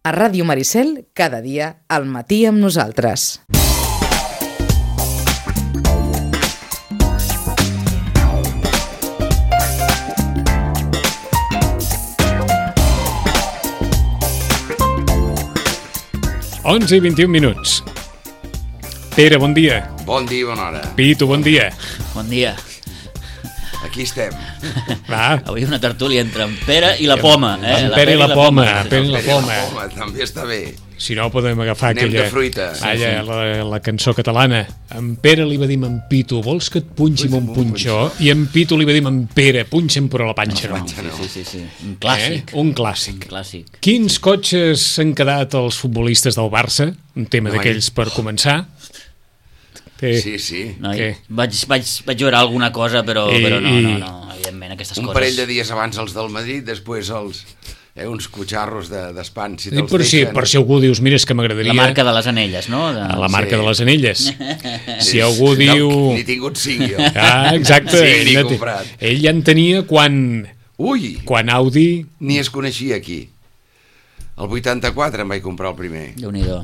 A Ràdio Maricel, cada dia, al matí amb nosaltres. Onze i 21 minuts. Pere, bon dia. Bon dia, bona hora. Pitu, bon dia. Bon dia. Aquí estem. Va. Avui una tertúlia entre en Pere i la Poma. En Pere i la Poma. Pere i la Poma. També està bé. Si no, podem agafar Anem aquella... de fruita. La cançó catalana. En Pere li va dir en Pitu, vols que et punxi amb un punxó? I en Pitu li va dir en Pere, punxa'm però la panxa no. Sí. Un clàssic. Un clàssic. Un clàssic. Quins cotxes s'han quedat els futbolistes del Barça? Un tema d'aquells per començar. Sí. No, vaig veure alguna cosa, però no, evidentment, aquestes coses... Un parell de dies abans els del Madrid, després uns cotxarros d'espant. Si per si algú dius, mira, és que m'agradaria... La marca de les anelles, no? La marca de les anelles. Si algú diu... No, n'he tingut 5 jo. Ah, exacte. Sí, n'he comprat. Ell ja en tenia quan... Ui! Quan Audi... Ni es coneixia aquí. El 84 em vaig comprar el primer. Déu-n'hi-do.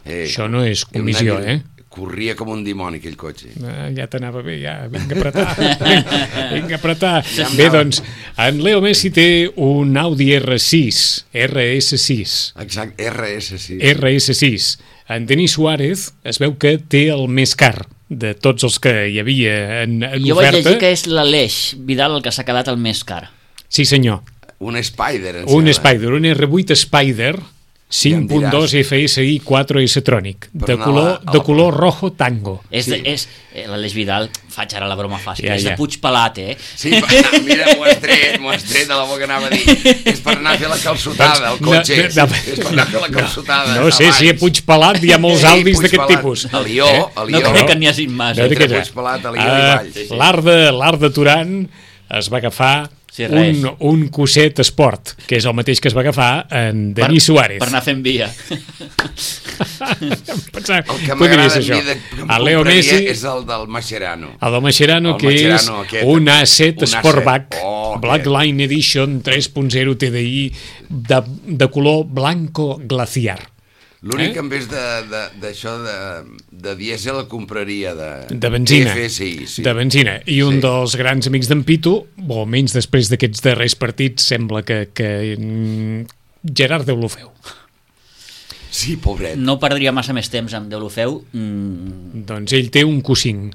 Això no és comissió, Corria com un dimoni, aquell cotxe. Ja t'anava bé, ja. Vinga a apretar. Bé, doncs, en Leo Messi té un Audi RS6. Exacte, RS6. RS6. En Denis Suárez es veu que té el més car de tots els que hi havia en oferta. Jo vaig llegir que és l'Aleix Vidal el que s'ha quedat el més car. Sí, senyor. Un Spider, un R8 Spider 5.2 FSI 4S Tronic de color rojo tango. L'Aleix Vidal, faig ara la broma fàcil, és de Puigpelat, Sí, mira, m'ho has tret de la boca, anava a dir. És per anar a fer la calçotada, el cotxe. És per anar a fer la calçotada. No sé si a Puigpelat hi ha molts Aldis d'aquest tipus. A Lió. No crec que n'hi hagi massa. Entre Puigpelat, a Lió i Valls. L'Art de Turan es va agafar un Cosset Esport, que és el mateix que es va agafar en Denis Suárez. Per anar fent via. El que m'agrada a mi de Leo Messi és el del Mascherano. El del Mascherano, que és un A7 Sportback Blackline Edition 3.0 TDI de color blanco glaciar. L'únic que en vez d'això de dièsel el compraria de benzina. FSI, de benzina. I un dels grans amics d'en Pitu, o almenys després d'aquests darrers partits, sembla que Gerard Deulofeu. Sí, pobret. No perdria massa més temps amb Deulofeu. Doncs ell té un Q5.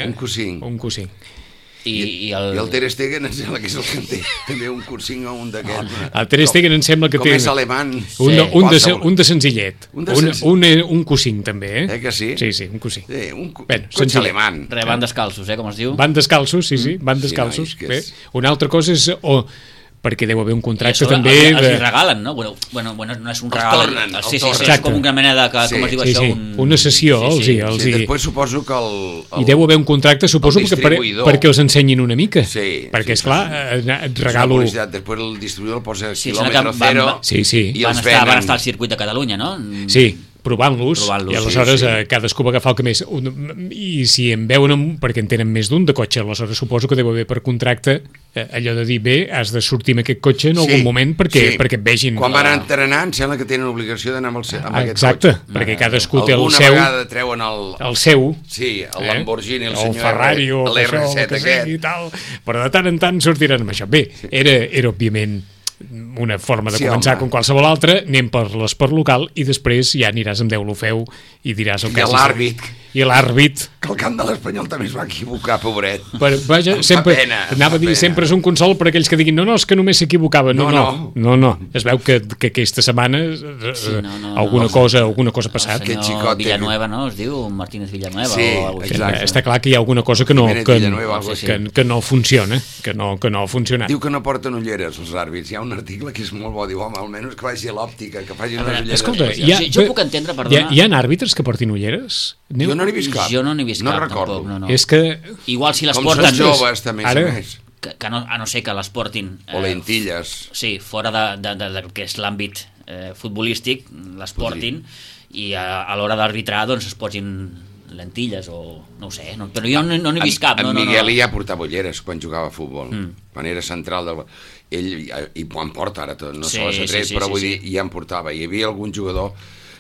Un Q5. I el Ter Stegen em sembla que és el que en té també un Q5 o un d'aquest. El Ter Stegen em sembla que té... Com és alemany. Un de senzillet. Un Q5 també, que sí? Sí, un Q5. Un cotxe alemany. Van descalços, com es diu? Van descalços, sí, van descalços. Una altra cosa és... perquè deu haver un contracte també... Els hi regalen, no? Bueno, no és un regal. Sí, és com una mena de... Com es diu això? Una sessió, Després suposo que I deu haver un contracte, suposo, perquè els ensenyin una mica. Perquè, esclar, et regalo... Després el distribuïdor el posa quilòmetre zero i els venen. Van estar al circuit de Catalunya, no? Sí, provant-los, i aleshores cadascú va agafar el que més... I si en veuen, perquè en tenen més d'un de cotxe, aleshores suposo que deu haver per contracte allò de dir, bé, has de sortir amb aquest cotxe en algun moment perquè et vegin. Quan van entrenar, em sembla que tenen obligació d'anar amb aquest cotxe. Exacte, perquè cadascú té el seu... Alguna vegada treuen el seu. Sí, el Lamborghini, el senyor Ferrari, l'R7 aquest. I tal, però de tant en tant sortiran amb això. Bé, era òbviament una forma de començar com qualsevol altra, anem per l'esport local i després ja aniràs amb Deulofeu i diràs el que I l'àrbit. Que el camp de l'Espanyol també es va equivocar, pobret. Vaja, anava a dir, sempre és un consol per aquells que diguin, no, és que només s'equivocava. No. Es veu que aquesta setmana alguna cosa ha passat. El senyor Villanueva, no? Es diu Martínez Villanueva. Sí, exacte. Està clar que hi ha alguna cosa que no funciona, que no ha funcionat. Diu que no porten ulleres els àrbits. Hi ha un article que és molt bo, diu, home, almenys que vagi a l'òptica, que faci unes ulleres. Escolta, jo puc entendre, perdona. Hi ha àrbitres que portin ulleres? Jo no n'he vist cap. Jo no n'he vist cap, recordo. tampoc. No. És que... Igual si les porten... porten... Com són joves, també, més. A no ser que les portin... O lentilles. Sí, fora del que és l'àmbit futbolístic, les portin, i a l'hora d'arbitrar doncs es posin lentilles o no ho sé, però jo no n'he vist cap. En Miguel ja portava ulleres quan jugava a futbol, quan era central ell, i quan porta ara tot, no se les ha tret, però vull dir, ja en portava. Hi havia algun jugador,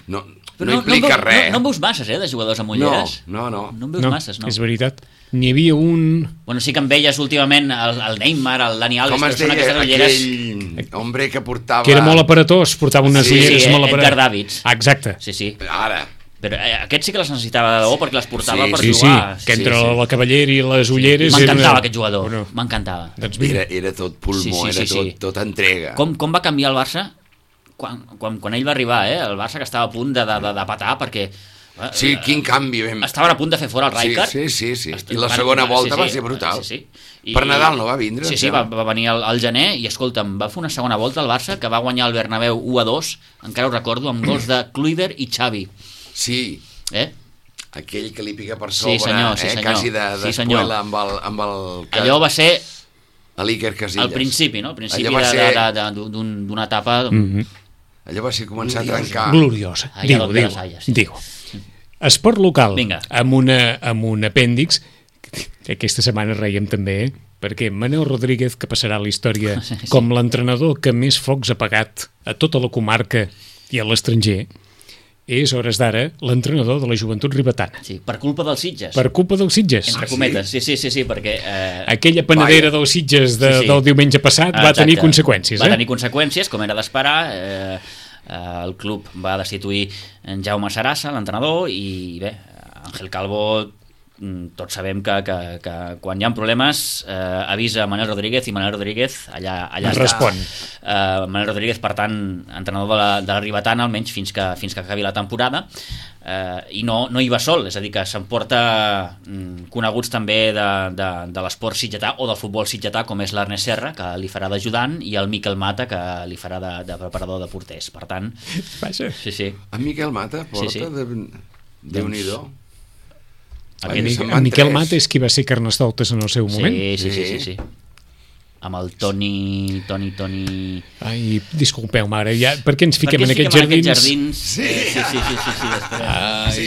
no implica res. No en veus masses, de jugadors amb ulleres? No en veus masses, no. És veritat. N'hi havia un... Bueno, sí que en veies últimament el Neymar, el Dani Alves, com es deia aquell hombre que portava... Que era molt aparatós, portava unes ulleres molt aparatós. Edgar Davids. Exacte. Sí. Ara... Però aquest sí que les necessitava de debò perquè les portava per jugar. Sí, que entre la cavallera i les ulleres... M'encantava aquest jugador, m'encantava. Era tot pulmó, era tot entrega. Com va canviar el Barça quan ell va arribar, el Barça que estava a punt de patar perquè... Sí, quin canvi. Estaven a punt de fer fora el Rijkaard. Sí. I la segona volta va ser brutal. Per Nadal no va vindre? Sí, va venir al gener i, escolta'm, va fer una segona volta al Barça que va guanyar el Bernabéu 1-2, encara ho recordo, amb gols de Kluivert i Xavi. Sí, aquell que li pica per sobre, quasi d'espuela amb el... Allò va ser l'Iker Casillas. Al principi, no? Al principi d'una etapa... Allò va ser començar a trencar. Gloriosa. Digo. Esport local, amb un apèndix, que aquesta setmana reiem també, perquè Manel Rodríguez, que passarà a la història com l'entrenador que més focs ha pagat a tota la comarca i a l'estranger, és, hores d'ara, l'entrenador de la Joventut Ribetana. Sí, per culpa dels Sitges. Per culpa dels Sitges. Entre cometes, sí, perquè... Aquella panadera dels Sitges del diumenge passat va tenir conseqüències. Va tenir conseqüències, com era d'esperar. El club va destituir en Jaume Sarassa, l'entrenador, i bé, Ángel Calvo... Tots sabem que quan hi ha problemes avisa Manel Rodríguez i Manel Rodríguez allà respon. Manel Rodríguez, per tant, entrenador de la Ribetana, almenys fins que acabi la temporada, i no hi va sol, és a dir, que s'emporta coneguts també de l'esport sitgetà o del futbol sitgetà, com és l'Ernest Serra, que li farà d'ajudant, i el Miquel Mata, que li farà de preparador de porters. Per tant... Sí. En Miquel Mata porta Déu-n'hi-do. En Miquel Mata és qui va ser Carnestoltes en el seu moment. Sí. Amb el Toni... Ai, disculpeu-me ara, per què ens fiquem en aquests jardins? Sí,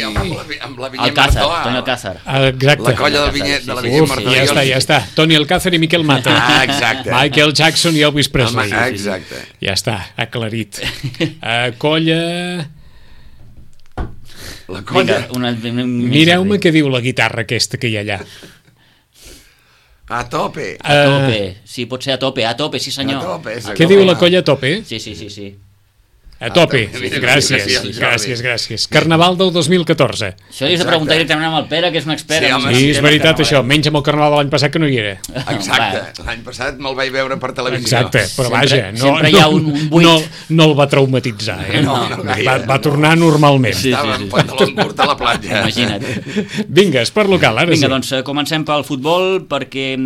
amb la Vinyet Martó. Toni Alcázar. Exacte. La colla de la Vinyet Martó. Ja està. Toni Alcázar i Miquel Mata. Exacte. Michael Jackson i Elvis Presley. Exacte. Ja està, aclarit. Colla... La colla... Mireu-me què diu la guitarra aquesta que hi ha allà. A tope. Sí, pot ser a tope, sí senyor. Què diu la colla a tope? Sí. A tope. Gràcies. Carnaval del 2014. Això li has de preguntar directament amb el Pere, que és un expert. Sí, és veritat això, menys amb el Carnaval de l'any passat que no hi era. Exacte, l'any passat me'l vaig veure per televisió. Exacte, però vaja, sempre hi ha un buit. No el va traumatitzar, va tornar normalment. Estava en pantaló curt a la platja. Imagina't. Vinga, esport local, ara sí. Vinga, doncs comencem pel futbol, perquè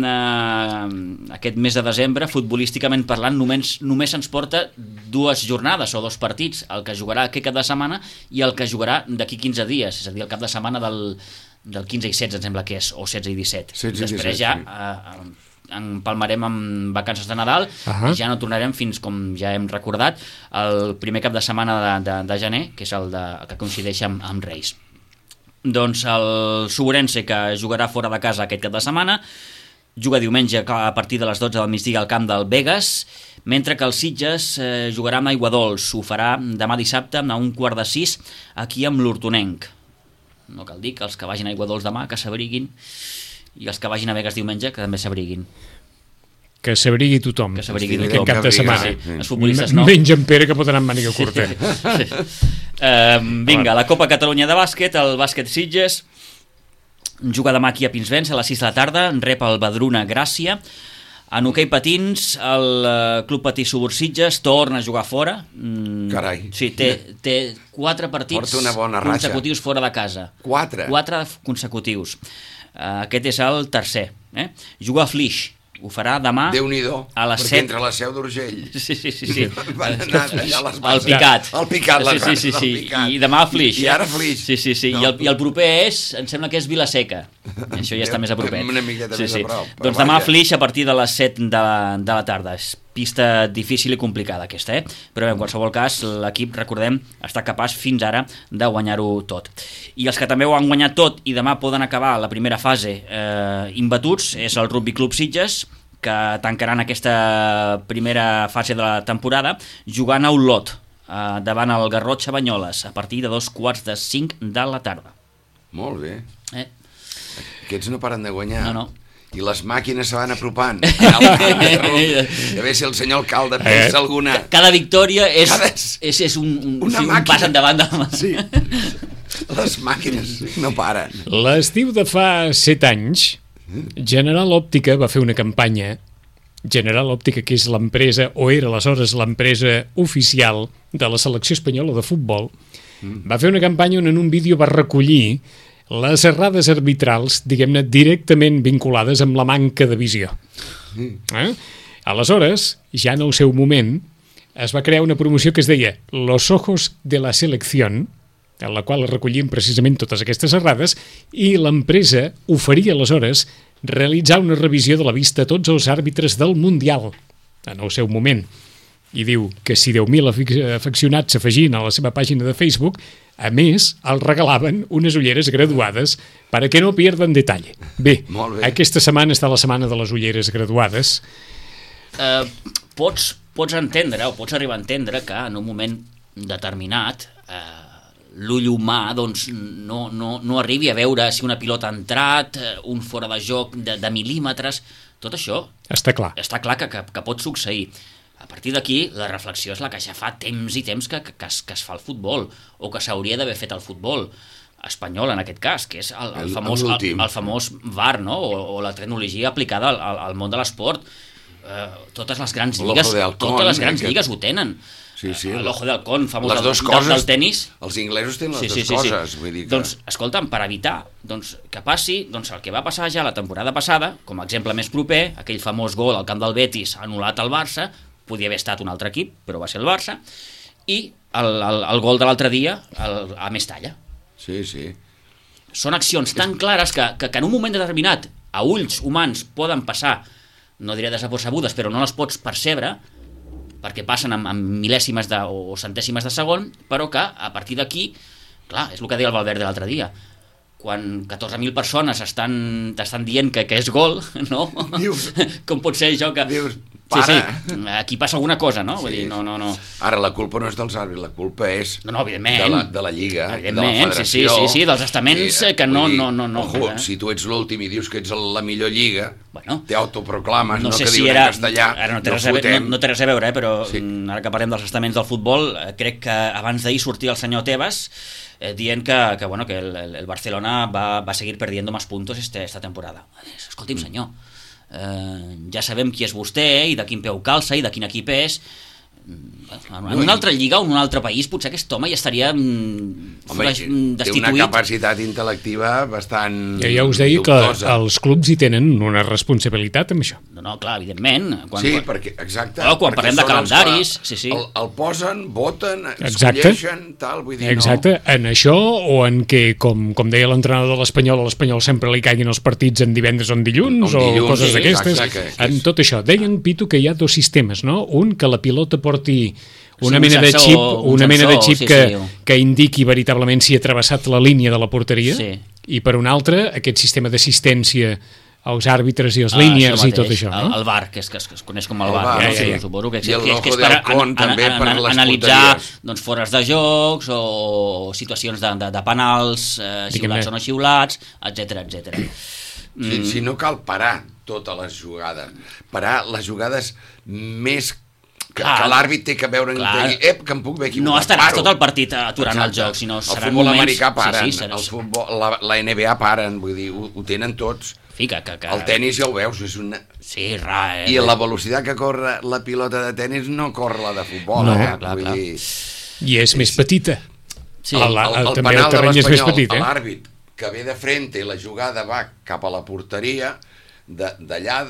aquest mes de desembre, futbolísticament parlant, només ens porta 2 jornades o 2 partits, el que jugarà aquest cap de setmana i el que jugarà d'aquí 15 dies, és a dir, el cap de setmana del 15 i 16, em sembla que és, o 16 i 17. Després ja empalmarem amb vacances de Nadal i ja no tornarem fins, com ja hem recordat, el primer cap de setmana de gener, que és el que coincideix amb Reis. Doncs el Suburense, que jugarà fora de casa aquest cap de setmana, juga diumenge a partir de les 12 del migdia al camp del Begues, mentre que el Sitges jugarà amb Aiguadols. Ho farà demà dissabte a 5:45 aquí amb l'Hortonenc. No cal dir que els que vagin a Aiguadols demà que s'abriguin, i els que vagin a Begues diumenge que també s'abriguin. Que s'abrigui tothom. Aquest cap de setmana. Els futbolistes no. Menys en Pere, que pot anar amb màniga curta. Vinga, la Copa Catalunya de bàsquet, el bàsquet Sitges juga demà aquí a Pinsbens a les 6 de la tarda, rep el Badruna Gràcia. En hoquei patins, el Club Patí Subur Sitges torna a jugar fora. Carai. Sí, té 4 partits consecutius fora de casa. 4 consecutius. Aquest és el tercer. Juga a Flix. Ho farà demà a les 7. Perquè entre la Seu d'Urgell. Sí. Van anar allà a les bases. El Picat. Sí. I demà a Flix. I ara Flix. Sí. I el proper em sembla que és Vilaseca. Això ja està més a propet. Una miqueta més a prop. Doncs demà a Flix a partir de les 7 de la tarda. pista difícil i complicada aquesta, però en qualsevol cas l'equip, recordem, està capaç fins ara de guanyar-ho tot. I els que també ho han guanyat tot i demà poden acabar la primera fase imbatuts és el Rugby Club Sitges, que tancaran aquesta primera fase de la temporada jugant a Olot, davant el Garrotxa Banyoles, a partir de 4:45 de la tarda. Molt bé. Aquests no paren de guanyar. No. I les màquines se van apropant a veure si el senyor alcalde pensa alguna... Cada victòria és un pas endavant. Sí. Les màquines no paren. L'estiu de fa 7 anys, General Òptica va fer una campanya. General Òptica, que és l'empresa, o era aleshores l'empresa oficial de la selecció espanyola de futbol, va fer una campanya on en un vídeo va recollir les errades arbitrals, diguem-ne, directament vinculades amb la manca de visió. Aleshores, ja en el seu moment, es va crear una promoció que es deia Los ojos de la selección, en la qual es recollien precisament totes aquestes errades, i l'empresa oferia aleshores realitzar una revisió de la vista a tots els àrbitres del Mundial, en el seu moment. I diu que si 10.000 afeccionats s'afegien a la seva pàgina de Facebook, a més, els regalaven unes ulleres graduades para que no pierdan detalle. Bé, aquesta setmana està la setmana de les ulleres graduades. Pots entendre, o pots arribar a entendre que en un moment determinat l'ull humà doncs, no arribi a veure si una pilota ha entrat, un fora de joc de mil·límetres, tot això està clar que pot succeir. A partir d'aquí, la reflexió és la que ja fa temps i temps que es fa el futbol, o que s'hauria d'haver fet el futbol espanyol, en aquest cas, que és el famós VAR, no? O la tecnologia aplicada al món de l'esport. Totes les grans lligues ho tenen. L'ojo de halcón, famós del tenis. Els inglesos tenen les dues coses. Doncs, escolta'm, per evitar que passi el que va passar ja la temporada passada, com a exemple més proper, aquell famós gol al camp del Betis anul·lat al Barça, podia haver estat un altre equip, però va ser el Barça, i el gol de l'altre dia a Mestalla. Sí. Són accions tan clares que en un moment determinat a ulls humans poden passar, no diré desapercebudes, però no les pots percebre, perquè passen amb mil·lèsimes o centèsimes de segon, però que a partir d'aquí, clar, és el que deia el Valverde l'altre dia, quan 14.000 persones t'estan dient que és gol, no? Com pot ser això que... Sí, aquí passa alguna cosa, no? Vull dir, no. Ara, la culpa no és dels àrbitres, la culpa és de la Lliga, de la Federació. Sí, dels estaments que no... Si tu ets l'últim i dius que ets la millor Lliga, t'autoproclames, no que diuen en castellà, no té res a veure, però ara que parlem dels estaments del futbol, crec que abans d'ahir sortia el senyor Tebas dient que el Barcelona va seguir perdiendo más puntos esta temporada. Escolti'm, senyor, ja sabem qui és vostè i de quin peu calça i de quin equip és. En una altra lliga o en un altre país potser aquest home ja estaria destituït. Té una capacitat intel·lectiva bastant ja us deia dubtosa. Que els clubs hi tenen una responsabilitat amb això. No, clar, evidentment. Exacte. Quan parlem de calendaris... El posen, voten, escolleixen, tal, vull dir, exacte. En això o en que, com deia l'entrenador de l'Espanyol sempre li caiguin els partits en divendres o en dilluns o coses d'aquestes. En tot això. Deien, Pitu, que hi ha dos sistemes, no? Un, que la pilota porti una mena de xip que indiqui veritablement si ha travessat la línia de la porteria, i per un altre aquest sistema d'assistència als àrbitres i als línies i tot això, no? El VAR, que es coneix com el VAR, suposo que és per analitzar fores de jocs o situacions de penals, xiulats o no xiulats, etc. Si no cal parar totes les jugades, parar les jugades més que l'àrbit té que veure que em puc haver equivocat. No estaràs tot el partit aturant el joc, sinó seran moments... El futbol americà paren, la NBA paren, vull dir, ho tenen tots. El tenis ja ho veus, és una... I la velocitat que corre la pilota de tenis no corre la de futbol, vull dir... I és més petita. El penal de l'Espanyol, l'àrbit que ve de frente i la jugada va cap a la porteria... d'allà,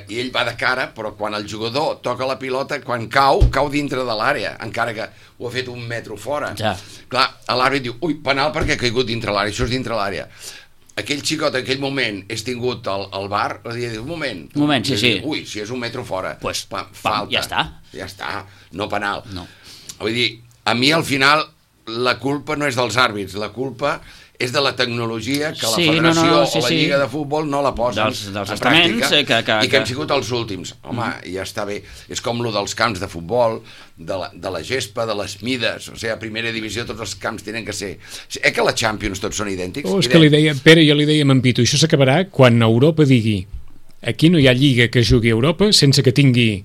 i ell va de cara, però quan el jugador toca la pilota, quan cau dintre de l'àrea, encara que ho ha fet un metro fora. Clar, l'àrbit diu, penal perquè ha caigut dintre l'àrea, això és dintre l'àrea. aquell xicot en aquell moment és tingut al bar, un moment, sí. Ui, si és un metro fora, pues, falta. Ja està, no penal. No. Vull dir, a mi al final la culpa no és dels àrbits, la culpa és de la tecnologia que la federació o la lliga de futbol no la posen dels en pràctica i que hem sigut els últims. Home, ja està bé. És com lo dels camps de futbol, de la gespa, de les mides. O sigui, a primera divisió tots els camps tenen que ser... Que la Champions tots són idèntics? És que li deia, Pere, jo li deia a en Pitu, això s'acabarà quan Europa digui aquí no hi ha lliga que jugui a Europa sense que tingui...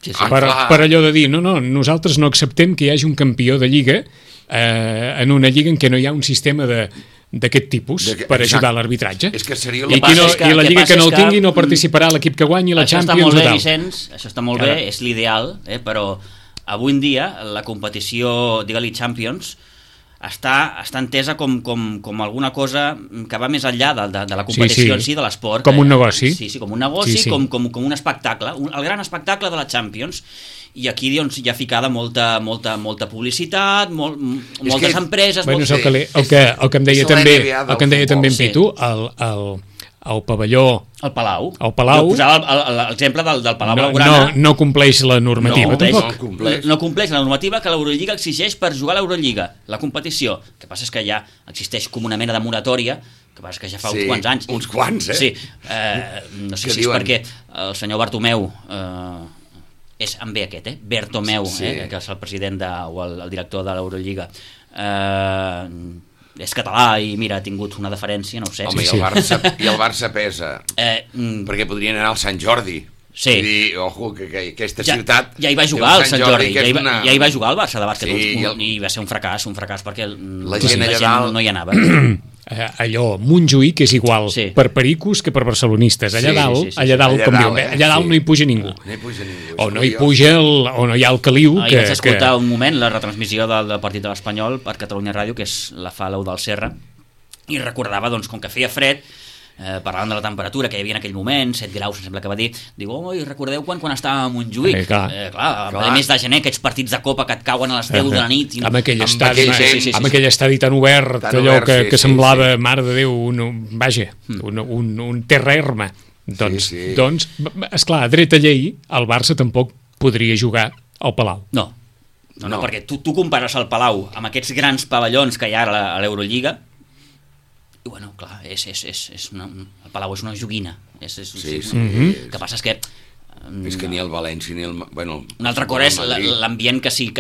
Per allò de dir, no, nosaltres no acceptem que hi hagi un campió de lliga en una lliga en què no hi ha un sistema d'aquest tipus per ajudar a l'arbitratge. És que seria I la lliga que no el tingui no participarà l'equip que guanyi la Champions o tal. Això està molt bé, és l'ideal, però avui en dia la competició, digue-li Champions, està entesa com alguna cosa que va més enllà de la competició en si, de l'esport. Com un negoci. Sí, com un negoci, com un espectacle, el gran espectacle de la Champions. I aquí doncs, hi ha ficada molta publicitat, moltes empreses... Bueno, és el que em deia també en Pitu, el pavelló... El Palau. Posava l'exemple del Palau Blaugrana. No compleix la normativa, tampoc. No compleix la normativa que l'Eurolliga exigeix per jugar a l'Eurolliga, la competició. El que passa és que ja existeix com una mena de moratòria, que passa que ja fa uns quants anys. Uns quants, Sí. No sé si és perquè el senyor Bartomeu... és en B aquest, Bertomeu, que és el president o el director de l'Eurolliga. És català i mira, ha tingut una deferència, no ho sé. Home, i el Barça pesa, perquè podrien anar al Sant Jordi. Sí. I dir, ojo, que aquesta ciutat... Ja hi va jugar el Sant Jordi, ja hi va jugar el Barça de bàsquet, i va ser un fracàs perquè la gent no hi anava. Allò, Montjuïc és igual per pericos que per barcelonistes. Allà dalt no hi puja ningú. O no hi puja o no hi ha el Caliu. Vaig escoltar un moment la retransmissió del partit de l'Espanyol per Catalunya Ràdio, que la fa l'Eu del Serra, i recordava, doncs, com que feia fred, parlant de la temperatura que hi havia en aquell moment, 7 graus, em sembla que va dir, diu, recordeu quan estava a Montjuïc? Clar, mes de gener, aquests partits de Copa que et cauen a les 10 de la nit. Amb aquell estadi tan obert, allò que semblava, mare de Déu, un terra erma. Doncs, esclar, a dreta llei, el Barça tampoc podria jugar al Palau. No, perquè tu compares el Palau amb aquests grans pavellons que hi ha a l'Eurolliga, i bueno, clar, el Palau és una joguina. Que passa és que... És que ni el València ni el... Un altre cosa és l'ambient que s'hi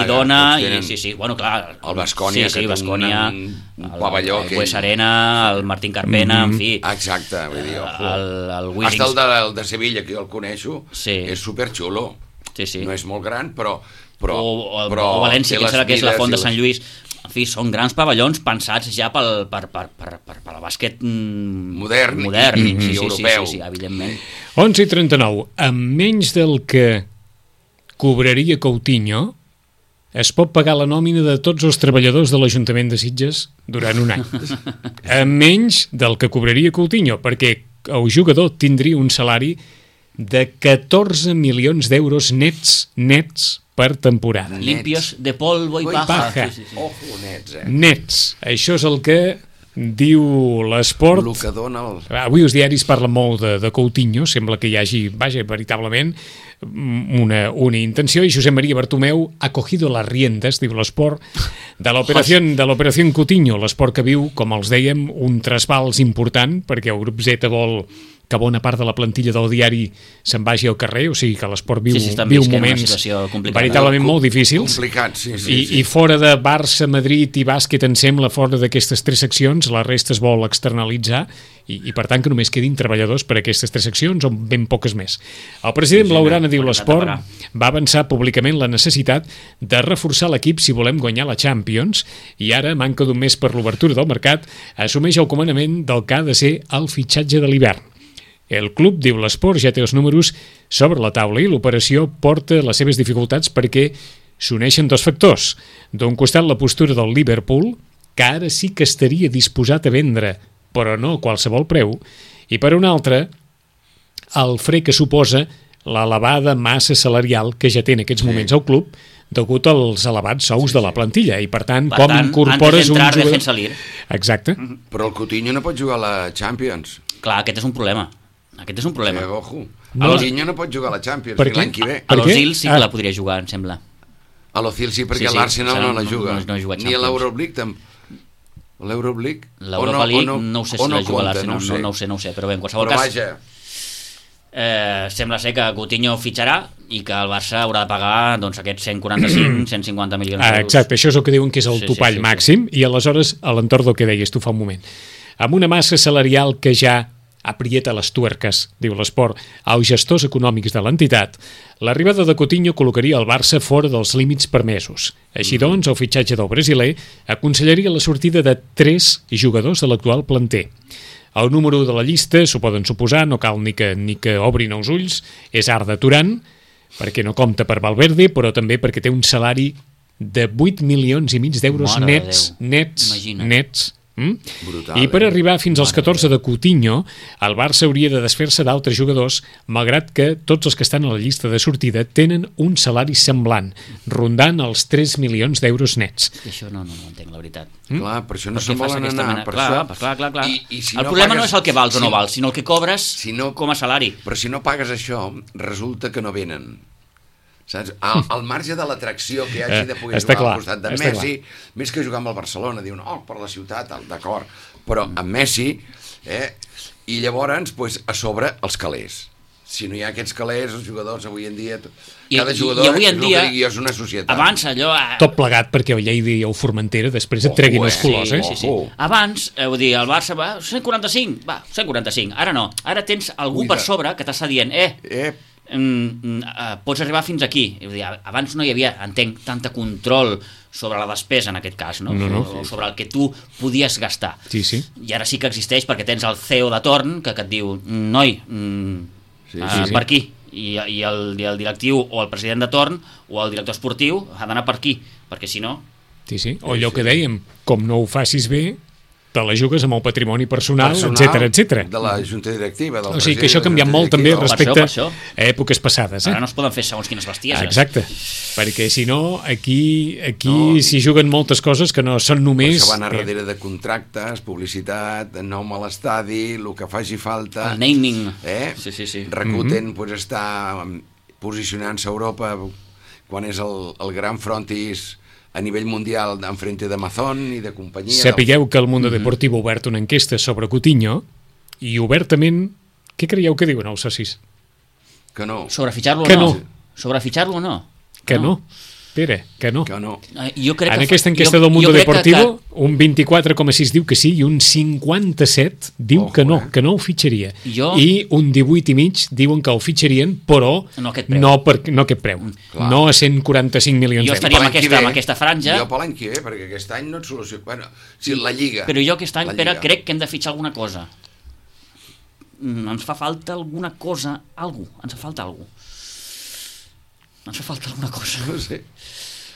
dona, i bueno, clar... El Baskonia, que té un pavelló... El Bues Arena, el Martín Carpena, en fi... Exacte, vull dir, el Willings... Hasta el de Sevilla, que jo el coneixo, és superxulo. No és molt gran, però... O València, que serà que és la Font de Sant Lluís... En fi, són grans pavellons pensats ja per al bàsquet modern i europeu. Sí, evidentment. 11:39. Amb menys del que cobraria Coutinho, es pot pagar la nòmina de tots els treballadors de l'Ajuntament de Sitges durant un any. Amb menys del que cobraria Coutinho, perquè el jugador tindria un salari de 14 milions d'euros nets per temporada. Limpios de polvo i paja. Ojo, nets, Nets. Això és el que diu l'esport. El que dona Avui els diaris parlen molt de Coutinho, sembla que hi hagi, veritablement una intenció, i Josep Maria Bartomeu ha cogido las riendas, diu l'esport, de l'operació Coutinho, l'esport que viu, com els dèiem, un trasbals important, perquè el grup Z vol que bona part de la plantilla del diari se'n vagi al carrer, o sigui que l'esport viu moments veritablement molt difícils. I fora de Barça, Madrid i bàsquet, em sembla, fora d'aquestes 3 seccions, la resta es vol externalitzar i per tant que només quedin treballadors per a aquestes 3 seccions o ben poques més. El president Blaugrana, diu l'esport, va avançar públicament la necessitat de reforçar l'equip si volem guanyar la Champions, i ara, manca d'un mes per l'obertura del mercat, assumeix el comandament del que ha de ser el fitxatge de l'hivern. El club, diu l'esport, ja té els números sobre la taula i l'operació porta les seves dificultats perquè s'uneixen 2 factors. D'un costat, la postura del Liverpool, que ara sí que estaria disposat a vendre, però no a qualsevol preu, i per un altre, el fre que suposa l'elevada massa salarial que ja té en aquests moments el club degut als elevats sous de la plantilla, i per tant, com incorpores un jugador... Exacte. Però el Coutinho no pot jugar a la Champions. Clar, aquest és un problema. Ojo. El Coutinho no pot jugar a la Champions ni l'any que ve. A l'Ozil sí que la podria jugar, em sembla. A l'Ozil sí, perquè l'Arsenal no la juga. Ni a l'Euroleague tampoc. L'Europa League no sé si la juga l'Arsenal, no ho sé, però bé, en qualsevol cas sembla ser que Coutinho fitxarà i que el Barça haurà de pagar doncs, aquests 145-150 milions d'euros. Exacte, això és el que diuen que és el topall màxim, i aleshores, a l'entorn del que deies tu fa un moment, amb una massa salarial que ja aprieta les tuerques, diu l'Esport, als gestors econòmics de l'entitat, l'arribada de Coutinho col·locaria el Barça fora dels límits permesos. Així doncs, el fitxatge del brasiler aconsellaria la sortida de 3 jugadors de l'actual planter. El número de la llista, s'ho poden suposar, no cal ni que obrin els ulls, és Arda Turan, perquè no compta per Valverde, però també perquè té un salari de 8 milions i mig d'euros nets. I per arribar fins als 14 de Coutinho, el Barça hauria de desfer-se d'altres jugadors, malgrat que tots els que estan a la llista de sortida tenen un salari semblant, rondant els 3 milions d'euros nets. Això no entenc, la veritat. Clar, per això no se'n volen anar. Clar. El problema no és el que vals o no vals, sinó el que cobres com a salari. Però si no pagues això, resulta que no venen. Saps? Al marge de l'atracció que hagi de poder jugar al costat de Messi, més que jugar amb el Barcelona, diuen, per la ciutat, d'acord, però amb Messi, i llavors, a sobre, els calés. Si no hi ha aquests calés, els jugadors avui en dia... Cada jugador és una societat. Abans allò... Tot plegat perquè el Lleida i el Formentera després et treguin els colors, Sí. Abans, el Barça va, 145, va, 145. Ara no, ara tens algú per sobre que t'està dient, pots arribar fins aquí. Abans no hi havia, entenc, tanta control sobre la despesa en aquest cas, no? Sobre el que tu podies gastar. Sí. I ara sí que existeix perquè tens el CEO de torn que et diu, noi, per aquí, i el directiu o el president de torn o el director esportiu ha d'anar per aquí, perquè si no... Sí, o allò que dèiem, com no ho facis bé, te la jugues amb el patrimoni personal, etc. De la junta directiva, del o sigui que això ha canviat molt també respecte a èpoques passades. Ara no es poden fer segons quines bestieses. Exacte, perquè si no, aquí s'hi juguen moltes coses que no són només... Això va anar darrere de contractes, publicitat, nom a l'estadi, el que faci falta... El naming. Sí. Rakuten està posicionant-se a Europa quan és el gran frontis a nivell mundial enfrente d'Amazon i de companyia... Sapigueu que el Mundo Deportivo ha obert una enquesta sobre Coutinho i obertament, què creieu que diuen els socis? Que no. Sobre fitxar-lo o no? Sobre fitxar-lo o no? Que no. Pere, que no. Jo crec en aquesta enquesta del Mundo Deportivo, un 24,6 diu que sí i un 57 diu que no ho fitxaria. I un 18,5 diuen que el fitxarien, però no aquest preu. No a 145 milions d'euros. Jo estaria amb aquesta franja. Jo per l'any que ve, perquè aquest any no et soluciona. Bueno, si la Lliga... Però jo aquest any, Pere, crec que hem de fitxar alguna cosa. Ens fa falta alguna cosa, ens fa falta alguna cosa. No sé.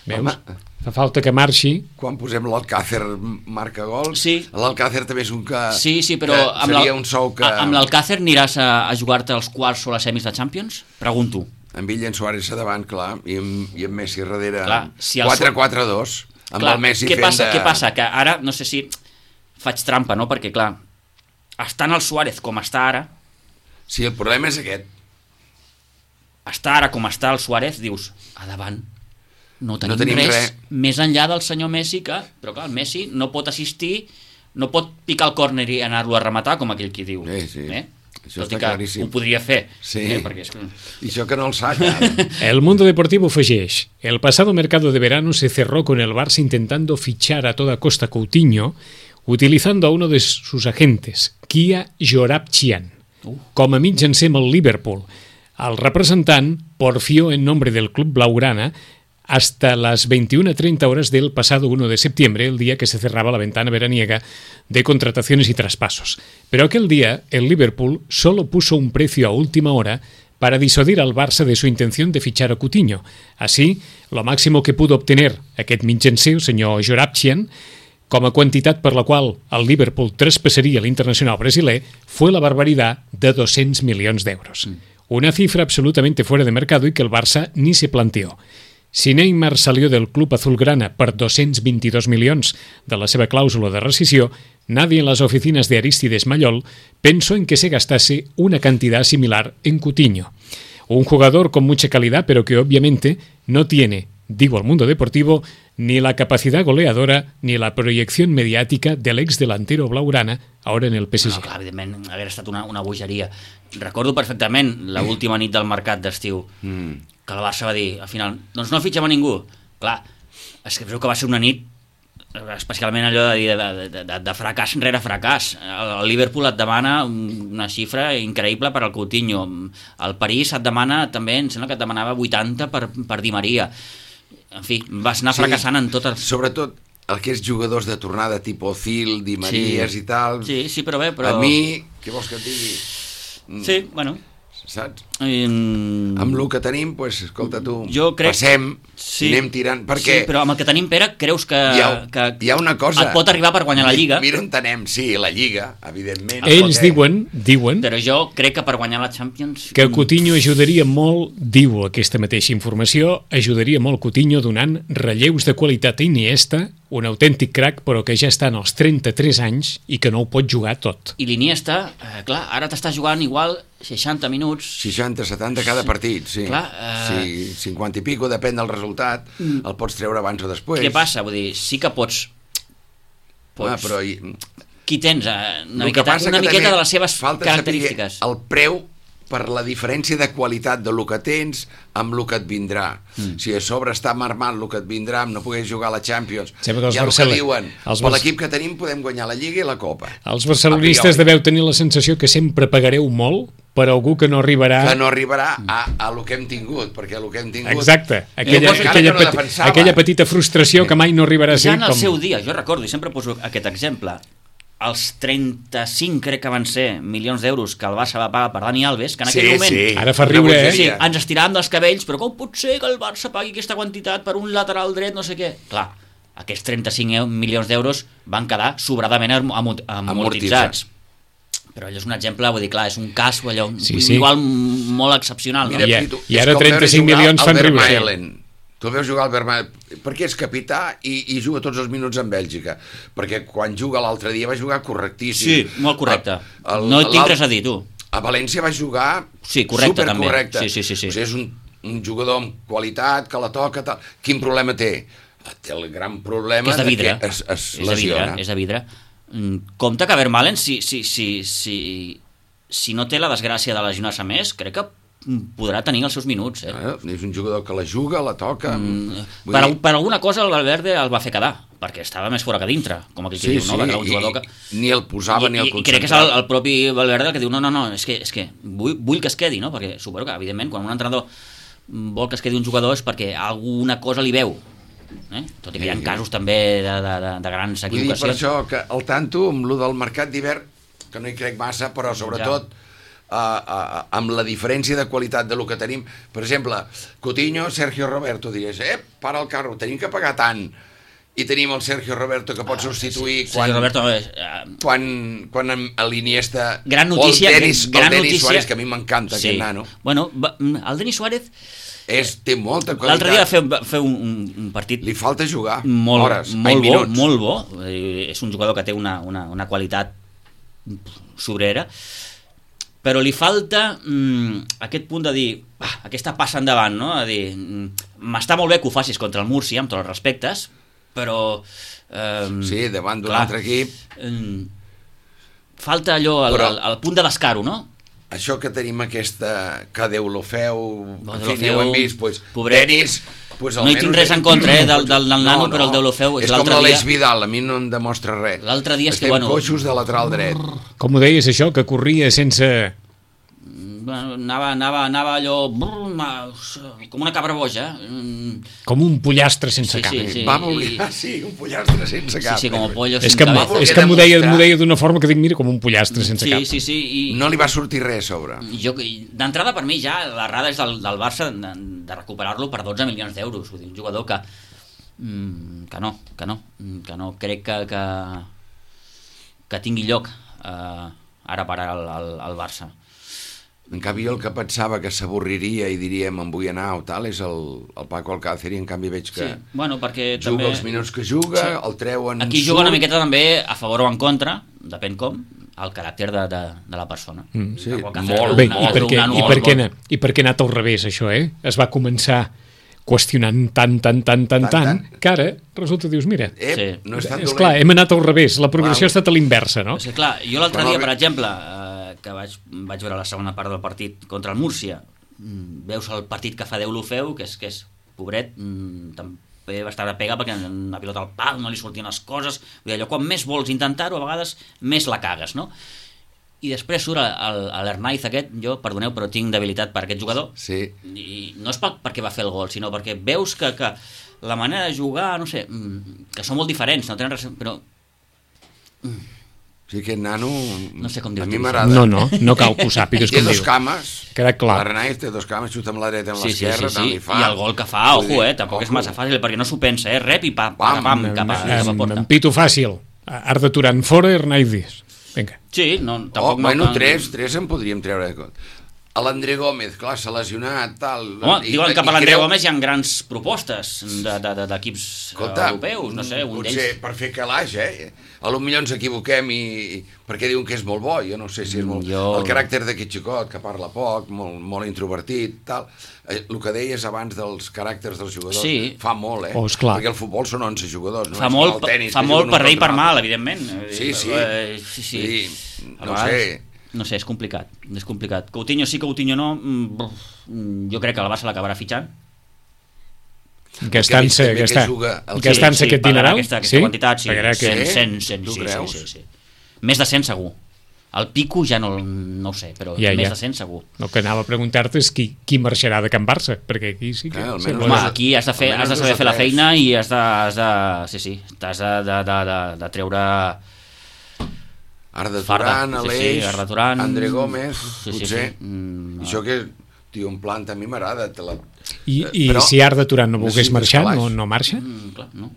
Veus? Fa falta que marxi. Quan posem l'Alcácer marca gols, l'Alcácer també és un que... Sí, però seria un sou que... Amb l'Alcácer aniràs a jugar-te als quarts o les semis de Champions? Pregunto. Amb ell i en Suárez a davant, clar, i en Messi darrere. 4-4-2. Amb el Messi fent de... Què passa? Que ara, no sé si faig trampa, no? Perquè, clar, estant el Suárez com està ara... Sí, el problema és aquest. Està ara com està el Suárez, dius, a davant no tenim res més enllà del senyor Messi, però clar, el Messi no pot assistir, no pot picar el córner i anar-lo a rematar, com aquell qui diu. Sí. Això tot i que ho podria fer. Sí, perquè y això que no el saca. El Mundo Deportivo afegeix: el pasado mercado de verano se cerró con el Barça intentando fichar a toda costa Coutinho, utilizando a uno de sus agentes, Kia Joorabchian, com a mitjancer amb el Liverpool. El representant porfió en nombre del club blaugrana hasta las 21:30 horas del pasado 1 de septiembre, el día que se cerraba la ventana veraniega de contrataciones y traspasos. Pero aquel día el Liverpool solo puso un precio a última hora para disuadir al Barça de su intención de fichar a Coutinho. Así, lo máximo que pudo obtener aquest mitjancer, el senyor Joorabchian, com a quantitat per la qual el Liverpool traspassaria l'internacional brasiler, fue la barbaridad de 200 millones d'euros. Una cifra absolutamente fuera de mercado y que el Barça ni se planteó. Si Neymar salió del club azulgrana per 222 milions de la seva clàusula de rescisió, nadie en las oficinas de Arístides Mayol pensó en que se gastase una cantidad similar en Coutinho. Un jugador con mucha calidad, pero que obviamente no tiene, digo al mundo deportivo, ni la capacidad goleadora ni la proyección mediática del ex delantero blaugrana, ahora en el PSG. No, clar, evidentment, hagués estat una bogeria. Recordo perfectament l'última nit del mercat d'estiu, que el Barça va dir, al final, doncs no fitxem a ningú. Clar, és que va ser una nit especialment allò de fracàs rere fracàs. El Liverpool et demana una xifra increïble per al Coutinho. El París et demana també, em sembla que et demanava 80 per Di Maria. En fi, vas anar fracassant en totes... Sobretot aquests jugadors de tornada tipus Ozil, Di Maries i tal... Sí, però bé, però... A mi, què vols que et digui? Sí, bueno... Saps? Amb el que tenim, doncs, escolta tu, passem i anem tirant, perquè... Sí, però amb el que tenim, Pere, creus que hi ha una cosa... et pot arribar per guanyar la Lliga? Mira on anem, sí, la Lliga, evidentment. Ells diuen... Però jo crec que per guanyar la Champions... Que Coutinho ajudaria molt, diu aquesta mateixa informació, ajudaria molt Coutinho donant relleus de qualitat a Iniesta, un autèntic crack, però que ja està en els 33 anys i que no ho pot jugar tot. I l'Iniesta, clar, ara t'està jugant igual 60 minuts... 60, 70 cada partit, sí. Clar, sí, 50 i pico, depèn del resultat, el pots treure abans o després. Què passa? Vull dir, sí que pots... però... Qui tens? Una miqueta de les seves característiques. El preu per la diferència de qualitat del que tens amb el que et vindrà. Si a sobre està marmant el que et vindrà amb no poder jugar a la Champions, ja el que diuen, per l'equip que tenim podem guanyar la Lliga i la Copa. Els barcelonistes deveu tenir la sensació que sempre pagareu molt per algú que no arribarà... Que no arribarà a lo que hem tingut, perquè el que hem tingut... Exacte, aquella petita frustració que mai no arribarà a ser... Ja en el seu dia, jo recordo, i sempre poso aquest exemple, els 35, crec que van ser, milions d'euros que el Barça va pagar per Dani Alves, que en aquell moment... Sí, ara fa riure, sí, ens estiràvem dels cabells, però com pot ser que el Barça pagui aquesta quantitat per un lateral dret, no sé què? Clar, aquests 35 milions d'euros van quedar sobradament amortitzats. Però allò és un exemple, vull dir, clar, és un cas allò, igual molt excepcional. Mira, no? I ara 35 milions fan riure. Tu el veus jugar al Vermaelen, perquè és capità i juga tots els minuts en Bèlgica, perquè quan juga l'altre dia va jugar correctíssim. Sí, molt correcte. No tinc res a dir, tu. A València va jugar supercorrecte. Sí. O sigui, és un jugador amb qualitat, que la toca, tal. Quin problema té? Té el gran problema és de vidre. Que es lesiona. És de vidre. Compte que Vermaelen, si no té la desgràcia de lesionar-se més, crec que podrà tenir els seus minuts. És un jugador que la juga, la toca... Per alguna cosa el Valverde el va fer quedar, perquè estava més fora que dintre, com aquell que diu, no? Perquè era un jugador que... Ni el posava ni el concentrava. I crec que és el propi Valverde el que diu, no, és que vull que es quedi, no? Perquè suposo que, evidentment, quan un entrenador vol que es quedi un jugador és perquè alguna cosa li veu. Tot i que hi ha casos també de grans equivocacions. Vull dir, per això, que al tanto, amb lo del mercat d'hivern, que no hi crec massa, però sobretot... amb la diferència de qualitat de lo que tenim, per exemple, Coutinho, Sergio Roberto, diries, para el carro, tenim que pagar tant, i tenim el Sergio Roberto que pot substituir quan l'Iniesta o el Denis Suárez, que a mi m'encanta aquest nano. Bueno, el Denis Suárez té molta qualitat. L'altre dia va fer un partit... Li falta jugar hores, molt bo. És un jugador que té una qualitat sobrera, però li falta aquest punt de dir, aquesta passa endavant, no? A dir, m'està molt bé que ho facis contra el Múrcia, amb tots els respectes, però... sí, davant d'un altre equip... falta allò, el punt de descaro, no? Això que tenim aquesta... que Déu lo feu... En fi, ho hem vist, Denis... No hi tinc res en contra del nano, però el Deulofeu... És com l'Aleix Vidal, a mi no em demostra res. L'altre dia és que, estem coixos de lateral dret. Com ho deies, això, que corria sense... Anava allò... com una cabra boja. Com un pollastre sense cap. Va voler... Sí, un pollastre sense cap. Sí, com el pollo sense cap. És que m'ho deia d'una forma que dic, mira, com un pollastre sense cap. Sí. No li va sortir res a sobre. D'entrada, per mi, ja, l'errada és del Barça de recuperar-lo per 12 milions d'euros. Vull dir, un jugador que no crec que tingui lloc ara per al Barça. En canvi, el que pensava que s'avorriria i diria me'n vull anar o tal és el Paco Alcácer, i en canvi veig que perquè juga també... els minuts que juga, el treuen... Aquí juga una miqueta també a favor o en contra, depèn com, el caràcter de la persona. Sí, molt. Bé, i per què ha anat al revés, això, Es va començar qüestionant tant, que ara resulta, dius, mira, no és tan dolent. És clar, hem anat al revés, la progressió ha estat a l'inversa, no? Sí, clar, jo l'altre dia, per exemple, que vaig veure la segona part del partit contra el Múrcia, veus el partit que fa Deulofeu, que és pobret, també va estar a pegar perquè una pilota al pal, no li sortien les coses, vull dir, allò, quan més vols intentar-ho, a vegades més la cagues, no? I després surt l'Hernáiz aquest, jo, perdoneu, però tinc debilitat per aquest jugador, i no és perquè va fer el gol, sinó perquè veus que la manera de jugar, no sé, que són molt diferents, no tenen res, però... Sí, aquest nano... No sé com dir-ho. A mi m'agrada. No cal que ho sàpigues com Té diu. dos cames. Queda clar. L'Hernáiz té dos cames, xuta amb la dreta, amb l'esquerra, tant li fa. I el gol que fa, ojo, tampoc és massa fàcil, perquè no s'ho pensa, rep i pam, cap a porta. Empito fàcil. Arda Turan fora, Hernáiz. Vinga. Sí, no, tampoc... Bueno, tres en podríem treure. A l'André Gómez, clar, s'ha lesionat, tal... Home, diuen que per l'André Gómez hi ha grans propostes d'equips europeus, no sé, un d'ells... Potser per fer calaix, A lo millor ens equivoquem perquè diuen que és molt bo, jo no sé si és molt... El caràcter d'aquest xicot, que parla poc, molt introvertit, tal... El que deies abans dels caràcters dels jugadors fa molt, perquè el futbol són 11 jugadors, fa molt per bé i per mal, evidentment. Sí. No sé... No sé, és complicat. Coutinho sí, Coutinho no. Jo crec que el Barça l'acabarà fitxant. Gastant-se aquest dineral? Aquesta quantitat, sí. 100, sí. Més de 100 segur. El Pico ja no ho sé, però més de 100 segur. El que anava a preguntar-te és qui marxarà de Can Barça, perquè aquí sí que... Home, aquí has de saber fer la feina i has de treure... Arda Turan, Aleix, André Gómez, potser. Això que, tio, en planta a mi m'agrada. I si Arda Turan no volgués marxar, no marxa? Clar, no.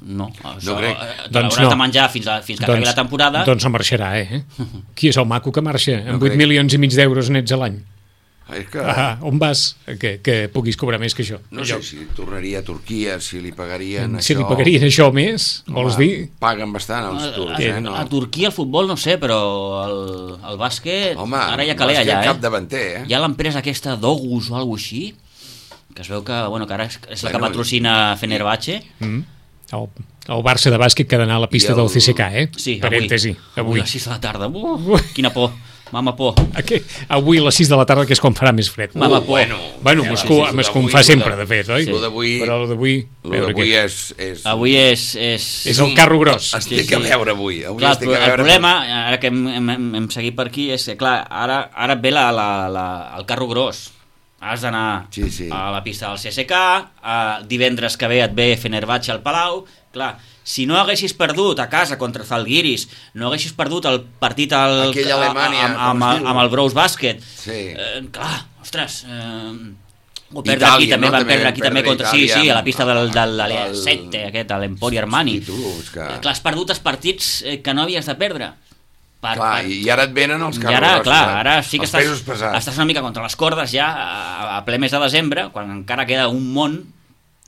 No crec. L'hauràs de menjar fins que acabi la temporada. Doncs no marxarà, Qui és el maco que marxa amb 8 milions i mig d'euros nets a l'any? On vas que puguis cobrar més que això? No sé si tornaria a Turquia, si li pagarien això. Si li pagarien això més, vols dir? Paguen bastant els turcs, A Turquia el futbol no sé, però el bàsquet... Home, ara hi ha calé allà, cap davanter, Hi ha l'empresa aquesta d'Ogus o alguna així, que es veu que ara és la que patrocina Fenerbahçe. El Barça de bàsquet que ha d'anar a la pista del CSKA, Sí, parèntesi. Avui a les 6 de la tarda. Quina por. Mama por. Avui a les 6 de la tarda, que és quan farà més fred. Mama por. Bueno, Moscou en fa sempre, de fet, oi? Però l'avui és... Avui és el carro gros. Estic a veure avui. El problema, ara que hem seguit per aquí, és que, clar, ara ve el carro gros. Has d'anar a la pista del CSKA, divendres que ve et ve Fenerbahçe al Palau, clar, si no haguessis perdut a casa contra Zalgiris, no haguessis perdut el partit amb el Brous Bàsquet, clar, ostres, o perdre aquí també, van perdre aquí també contra, a la pista del Sette, aquest, l'Empori Armani. Clar, has perdut els partits que no havies de perdre. I ara et venen els carros. Ara sí que estàs una mica contra les cordes ja a ple mes de desembre, quan encara queda un món,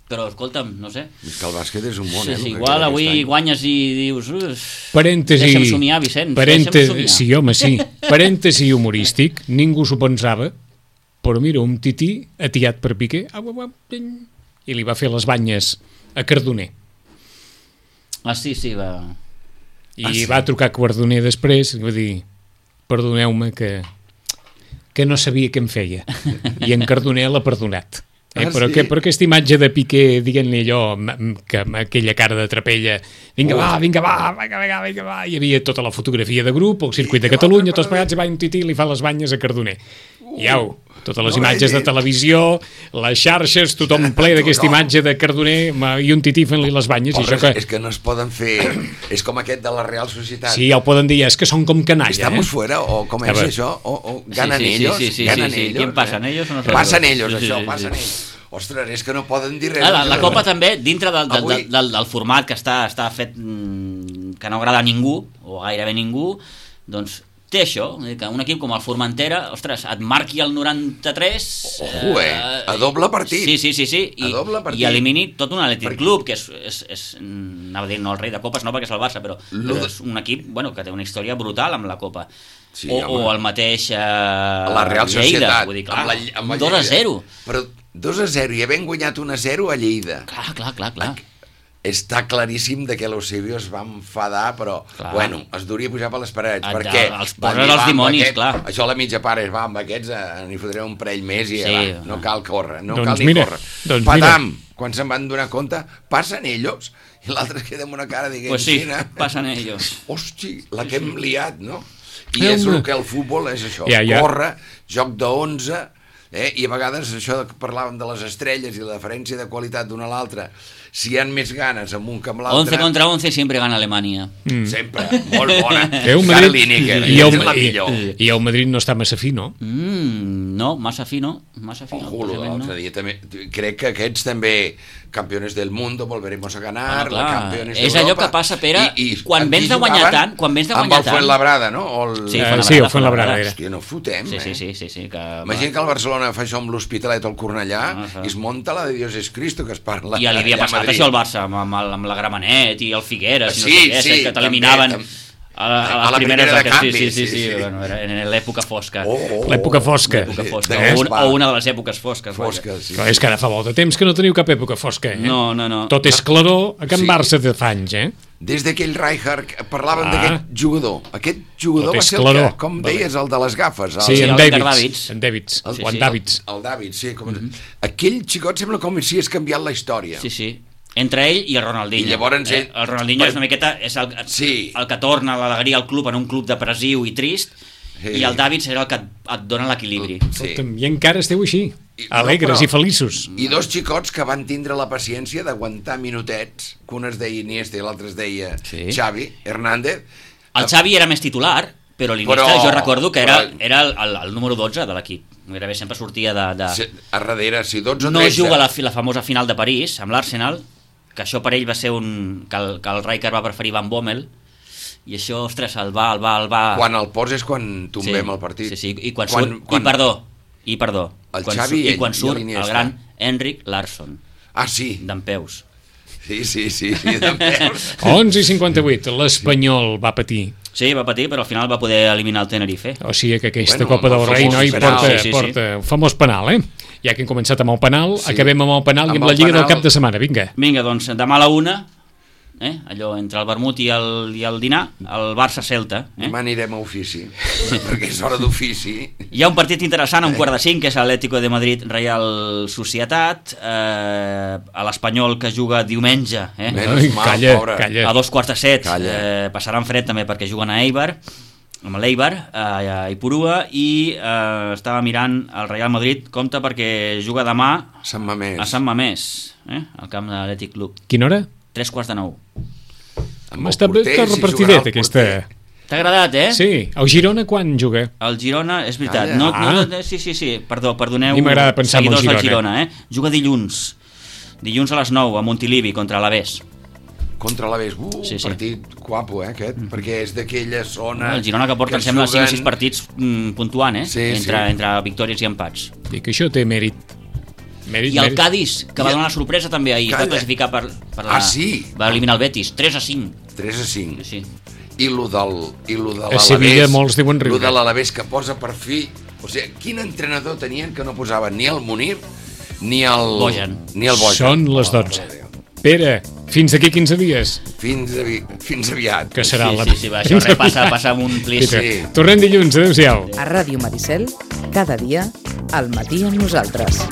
però escolta'm, no sé. És que el bàsquet és un món, igual avui guanyes i dius... Deixa'm somiar, Vicenç. Sí, home, sí. Parèntesi humorístic, ningú s'ho pensava, però mira, un tití atiat per Piqué i li va fer les banyes a Cardoner. Sí, va... I va trucar Cardoner després i va dir, perdoneu-me que no sabia què em feia, i en Cardoner l'ha perdonat. Però aquesta imatge de Piqué dient-li allò, que amb aquella cara de trapella, vinga va, hi havia tota la fotografia de grup, el circuit de Catalunya, tots plegats, i va un tití i li fa les banyes a Cardoner. I totes les imatges de televisió, les xarxes, tothom ple d'aquesta imatge de Cardoner i un tití fent-li les banyes. És que no es poden fer... És com aquest de la Real Societat. Sí, ja ho poden dir, és que són com canalla. Estamos fuera, o com és això? O ganen ellos? ¿Quién pasan ellos o no? Passen ells, això, passen ells. Ostres, és que no poden dir res. La Copa també, dintre del format que està fet, que no agrada a ningú, o gairebé ningú, doncs té això, que un equip com el Formentera, ostres, et marqui el 93... a doble partit. Sí. I elimini tot un Atlètic Club, que és anava a dir, no el rei de copes, no perquè és el Barça, però és un equip que té una història brutal amb la Copa. Sí, o el mateix la Real Societat, vull dir, clar, amb 2-0. Però 2-0 i havent guanyat 1-0 a Lleida. Clar. Està claríssim de que l'Eusebio es va enfadar, però, bueno, es duria pujar per les parets, perquè... Els poses els dimonis, clar. Això a la mitja part és, va, amb aquests n'hi fotré un parell més i no cal córrer, cal ni córrer. Patam, quan se'n van donar compte, passen ells, i l'altre es queda amb una cara dient... Pues sí, passen ells. Hosti, la que hem liat, no? I és el que el futbol és això, córrer, joc de 11, i a vegades això que parlàvem de les estrelles i la diferència de qualitat d'una a l'altra, si hi ha més ganes amb un que amb l'altre... 11 contra 11 sempre gana Alemanya. Sempre, molt bona. Carl Lineker, i el Madrid no està massa fi, no? No, massa fi no. L'altre dia també... Crec que aquests també, campeones del mundo, volveremos a ganar, campeones d'Europa... És allò que passa, Pere, quan vens de guanyar tant... Amb el Fuenlabrada, no? Sí, el Fuenlabrada era. Hòstia, no fotem, Sí. Imagina que el Barcelona fa això amb l'Hospitalet o el Cornellà i es monta la de Dios es Cristo, que es parla... I ja li havia passat això al Barça, amb la Gramenet i el Figueres, que t'eliminaven a la primera de canvis. Sí, bueno, era en l'època fosca. L'època fosca. O una de les èpoques fosques. Però és que ara fa molt de temps que no teniu cap època fosca, No. Tot és claror a Can Barça de fa anys, Des d'aquell Rijkaard parlaven d'aquest jugador. Aquest jugador va ser el que, com deies, el de les gafes. Sí, en Davids. El Davids, sí. Aquell xicot sembla com si hagués canviat la història. Sí. Entre ell i el Ronaldinho. I llavors el Ronaldinho és una miqueta el que torna l'alegria al club en un club depressiu i trist, i el Davids era el que et dona l'equilibri. I encara esteu així, alegres i feliços. I dos xicots que van tindre la paciència d'aguantar minutets, que un es deia Iniesta i l'altre es deia Xavi Hernández. El Xavi era més titular, però l'Iniesta jo recordo que era el número 12 de l'equip. Gairebé sempre sortia de... A darrere, si 12 o 13... No juga la famosa final de París amb l'Arsenal, que això per ell va ser que el Rijkaard va preferir Van Bommel, i això, ostres, el va... Quan el poses quan tombem el partit. Sí, i quan surt... I perdó. El Xavi i quan surt el gran Henrik Larsson. Ah, sí. Dempeus. Sí, Dempeus. 11:58, l'Espanyol va patir. Sí, va patir, però al final va poder eliminar el Tenerife. O sigui que aquesta Copa del Rei porta un famós penal, Ja que hem començat amb el penal, acabem amb el penal i amb la Lliga del cap de setmana, vinga. Vinga, doncs demà a la 1, allò entre el vermut i el dinar, el Barça-Celta. Demà anirem a ofici, perquè és hora d'ofici. Hi ha un partit interessant a 1:45, que és l'Atlético de Madrid Real Societat, a l'Espanyol que juga diumenge, Calla. A 6:45, passaran fred també perquè juguen a Eibar, amb l'Eibar a Ipurua, i estava mirant el Real Madrid, compte perquè juga demà a Sant Mamés, al camp de l'Atlètic Club. Quina hora? 8:45. Està repartidet aquesta... T'ha agradat, Sí. El Girona quan juga? El Girona, és veritat. Sí. Perdoneu, a mi m'agrada pensar en el Girona. Juga dilluns a les 9 a Montilivi contra l'Alavés. Contra l'Alavés, partit guapo, aquest, perquè és d'aquella zona... El Girona que porta, em sembla, 5 o 6 partits puntuant, entre victòries i empats. Dic que això té mèrit. I el Cádiz, que va donar la sorpresa també ahir, va classificar per la... Va eliminar el Betis, 3-5. 3-5. Sí. I lo de l'Alavés... A Sevilla molts diuen riure. Lo de l'Alavés que posa per fi... O sigui, quin entrenador tenien que no posava ni el Munir ni el Bojan? Són les 12. Pere, fins d'aquí 15 dies. Fins aviat. Que serà això passa amb un plis. Tornem dilluns, adéu-siau. A Ràdio Maricel, cada dia, al matí amb nosaltres.